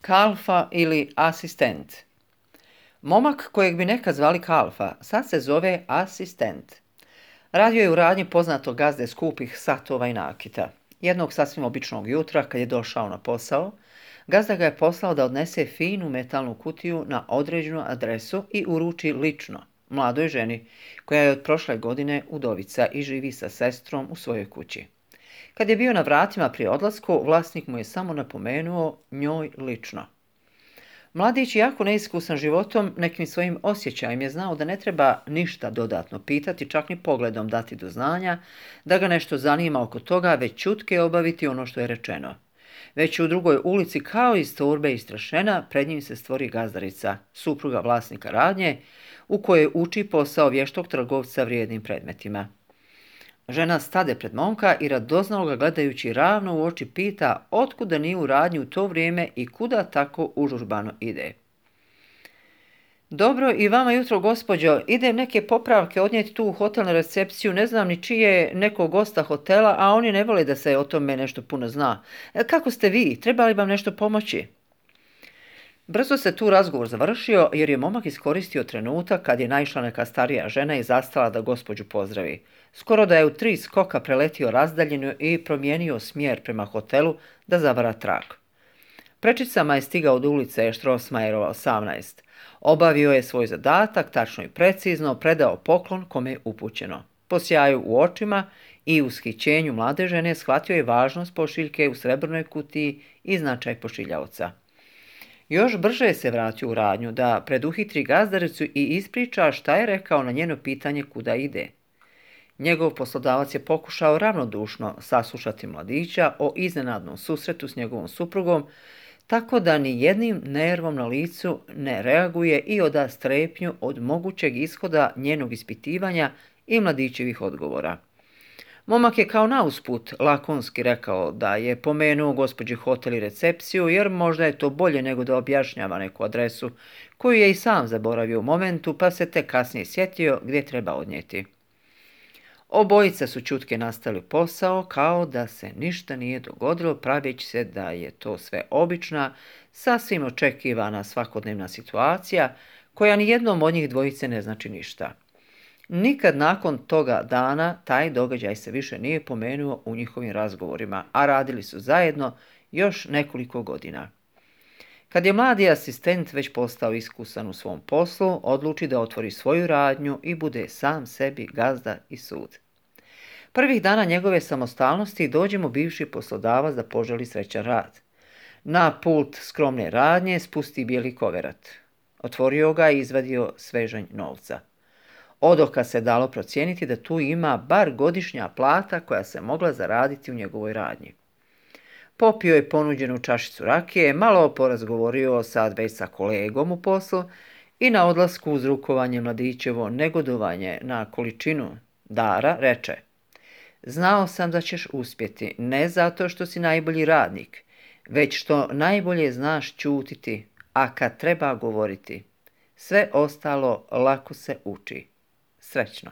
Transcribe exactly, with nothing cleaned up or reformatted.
Kalfa ili asistent. Momak kojeg bi nekad zvali Kalfa, sad se zove asistent. Radio je u radnji poznatog gazde skupih satova i nakita. Jednog sasvim običnog jutra, kad je došao na posao, gazda ga je poslao da odnese finu metalnu kutiju na određenu adresu i uruči lično mladoj ženi, koja je od prošle godine udovica i živi sa sestrom u svojoj kući. Kad je bio na vratima pri odlasku, vlasnik mu je samo napomenuo njoj lično. Mladić, jako neiskusan životom, nekim svojim osjećajem je znao da ne treba ništa dodatno pitati, čak ni pogledom dati do znanja, da ga nešto zanima oko toga, već čutke obaviti ono što je rečeno. Već u drugoj ulici, kao iz torbe istrašena, pred njim se stvori gazdarica, supruga vlasnika radnje, u kojoj uči posao vještog trgovca vrijednim predmetima. Žena stade pred momka i radoznalo ga gledajući ravno u oči pita otkuda nije u radnji u to vrijeme i kuda tako užurbano ide. Dobro, i vama jutro, gospođo, idem neke popravke odnijeti tu u hotel na recepciju, ne znam ni čije nekog gosta hotela, a oni ne vole da se o tome nešto puno zna. Kako ste vi? Treba li vam nešto pomoći? Brzo se tu razgovor završio, jer je momak iskoristio trenutak kad je naišla neka starija žena i zastala da gospođu pozdravi. Skoro da je u tri skoka preletio razdaljinu i promijenio smjer prema hotelu da zavara trag. Prečicama je stigao od ulice Štrosmajerova osamnaest. Obavio je svoj zadatak, tačno i precizno, predao poklon kome je upućeno. Po sjaju u očima i ushićenju mlade žene shvatio je važnost pošiljke u srebrnoj kutiji i značaj pošiljaoca. Još brže se vratio u radnju da preduhitri gazdaricu i ispriča šta je rekao na njeno pitanje kuda ide. Njegov poslodavac je pokušao ravnodušno saslušati mladića o iznenadnom susretu s njegovom suprugom, tako da ni jednim nervom na licu ne reaguje i oda strepnju od mogućeg ishoda njenog ispitivanja i mladićevih odgovora. Momak je kao nausput lakonski rekao da je pomenuo gospođi hotel i recepciju, jer možda je to bolje nego da objašnjava neku adresu, koju je i sam zaboravio u momentu, pa se tek kasnije sjetio gdje treba odnijeti. Obojica su čutke nastavili posao kao da se ništa nije dogodilo, praveći se da je to sve obična, sasvim očekivana svakodnevna situacija, koja ni jednom od njih dvojice ne znači ništa. Nikad nakon toga dana taj događaj se više nije pomenuo u njihovim razgovorima, a radili su zajedno još nekoliko godina. Kad je mladi asistent već postao iskusan u svom poslu, odluči da otvori svoju radnju i bude sam sebi gazda i sud. Prvih dana njegove samostalnosti dođe mu bivši poslodavac da poželi srećan rad. Na pult skromne radnje spusti bijeli koverat. Otvorio ga i izvadio svežanj novca. Odoka se dalo procijeniti da tu ima bar godišnja plata koja se mogla zaraditi u njegovoj radnji. Popio je ponuđenu čašicu rakije, malo porazgovorio sad već sa kolegom u poslu i na odlasku uz rukovanje mladićevo negodovanje na količinu dara reče: znao sam da ćeš uspjeti, ne zato što si najbolji radnik, već što najbolje znaš ćutiti, a kad treba govoriti, sve ostalo lako se uči. Srećno!